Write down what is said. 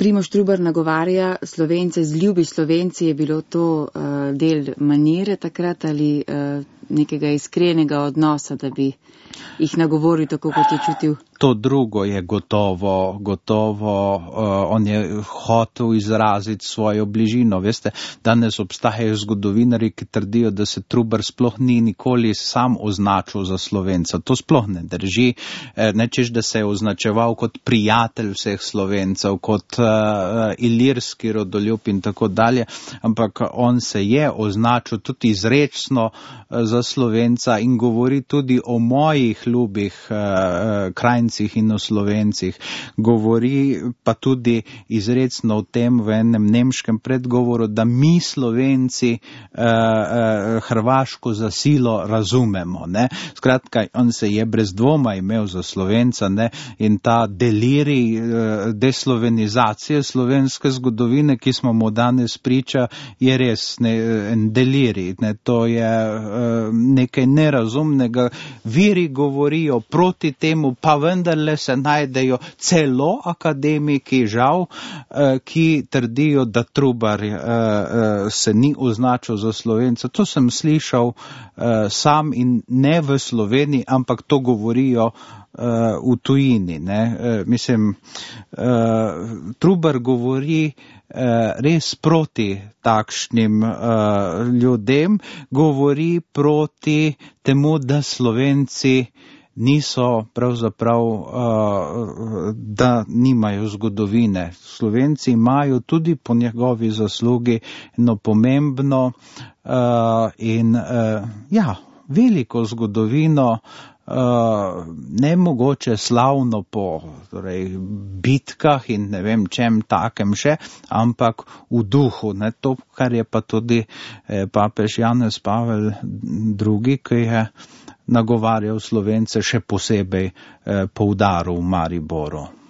Primož Trubar nagovarja Slovence, zljubi Slovenci, je bilo to del manire takrat ali nekega iskrenega odnosa, da bi jih nagovoril tako, kot je čutil? To drugo je gotovo, on je hotel izraziti svojo bližino. Veste, danes obstajajo zgodovinarji, ki trdijo, da se Trubar sploh ni nikoli sam označil za Slovenca. To sploh ne drži, nečeš, da se je označeval kot prijatelj vseh Slovencev, kot ilirski rodoljub in tako dalje, ampak on se je označil tudi izrečno za Slovenca in govori tudi o mojih ljubih krajncih in o Slovencih. Govori pa tudi izrecno o tem v enem nemškem predgovoru, da mi Slovenci Hrvaško za silo razumemo. Ne? Skratka, on se je brez dvoma imel za Slovenca, ne? In ta delirij deslovenizacije slovenske zgodovine, ki smo mu danes priča, je res en delirij. Ne? To je nekaj nerazumnega. Viri govorijo proti temu, pa vendarle se najdejo celo akademiki, žal, ki trdijo, da Trubar se ni označil za Slovenca. To sem slišal sam in ne v Sloveniji, ampak to govorijo v tujini. Ne? Mislim, Trubar govori res proti takšnim ljudem, govori proti temu, da Slovenci niso pravzaprav, da nimajo zgodovine. Slovenci imajo tudi po njegovi zaslugi eno pomembno in veliko zgodovino, ne mogoče slavno po bitkah in ne vem čem takem še, ampak v duhu. Ne, to, kar je pa tudi papež Janez Pavel II, ki je nagovarjal Slovence, še posebej poudaril v Mariboru.